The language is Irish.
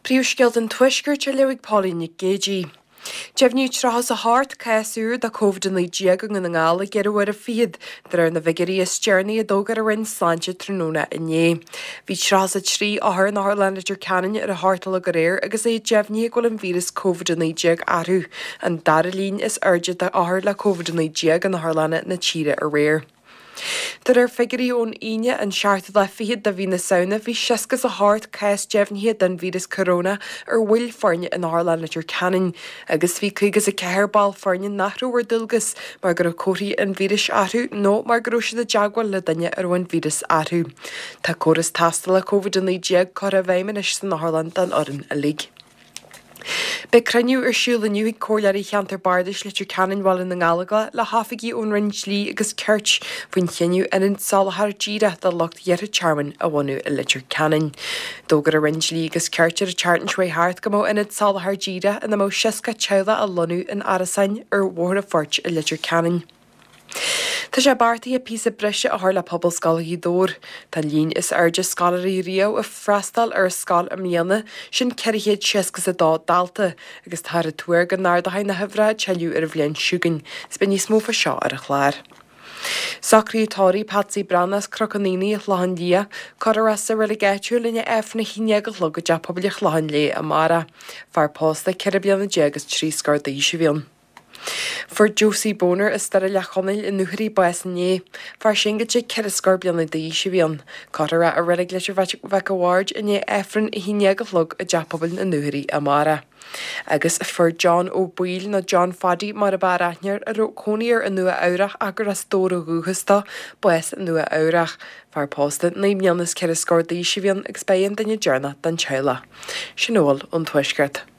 Príomhscéalta an Tuaiscirt á léamh ag Pauline Nic Géidigh. Deimhníodh 38 cás úr de Covid-19 i nDún na nGall i gceithre huaire fichead, de réir na bhfigiúirí is deireanaí a d'fhógair an Roinn Sláinte tráthnóna inné. Bhí 33 othar in Otharlann Leitir Ceanainn ar a hocht a chlog aréir agus é deimhnithe go bhfuil an víreas Covid-19 orthu, an dara líon is airde d'othair le Covid-19 in otharlanna na tíre aréir. De réir figiúirí ón Aoine, an seachtú lá fichead de mhí na Samhna, bhí 68 cás deimhnithe den víreas coróna ar bhaill foirne in Otharlann Leitir Ceanainn agus bhí 54 ball foirne nach raibh ar dualgas mar go raibh comharthaí an víris orthu nó mar go raibh siad i dteagmháil le duine a raibh an víreas orthu. Tá córas tástála Covid-19 curtha i bhfeidhm anois san otharlann don fhoireann uilig. Beidh cruinniú ar siúl inniu ag Comhairleoirí Cheantar Bardais Leitir Ceanainn Bhaile na nGallóglach le hoifigigh ón Roinn Dlí agus Cirt faoin chinneadh ionad soláthar díreach do lucht iarrtha tearmainn a bhunú i Leitir Ceanainn. D'fhógair an Roinn Dlí agus Cirt ar an tseachtain seo thart go mbeadh ionad soláthar díreach ina mbeadh 60 teaghlach á lonnú in árasáin ar Bhóthar an Phoirt i Leitir Ceanainn. Tá sé beartaithe píosa breise a chur le Pobalscoil Ghaoth Dobhair. Tá an líon is airde scoláirí riamh ag freastal ar an scoil i mbliana, sin 462 dalta, agus táthar ag tuar go n-ardóidh na huimhreacha tuilleadh ar an bhliain seo chugainn. Is beidh níos mó fá seo ar an chlár. Socraíodh tórramh Patsy Breathnach as Cnoc an Aonaigh, an Chlochán Liath. Cuirfear é sa reilig áitiúil i ndiaidh Aifreann 11 a chlog i dTeach Pobail an Chlocháin Léith amárach. Fear pósta 14 bliana is trí scór d'aois a bhí ann. Fuair Josie Boner as Doire Leac Chonaill i nDúchoraidh bás inné. Fear singilte ceithre scór bliana d'aois a bhí ann. Cuirfear é i Reilig Leitir Mhic a' Bhaird i ndiaidh Aifreann 11 a chlog i dTeach Pobail na nDúchoraidh amárach. Agus fuair John Ó Baoill, nó John Phaddy mar ab fhearr aithne air, a raibh cónaí air i Nua Eabhrach ach gur as Dobhar ó dhúchas dó, bás i Nua Eabhrach. Fear pósta 9 mbliana is ceithre scór d'aois a bhí ann agus ba é an duine deireanach den teaghlach. Sin a bhfuil ón Tuaisceart.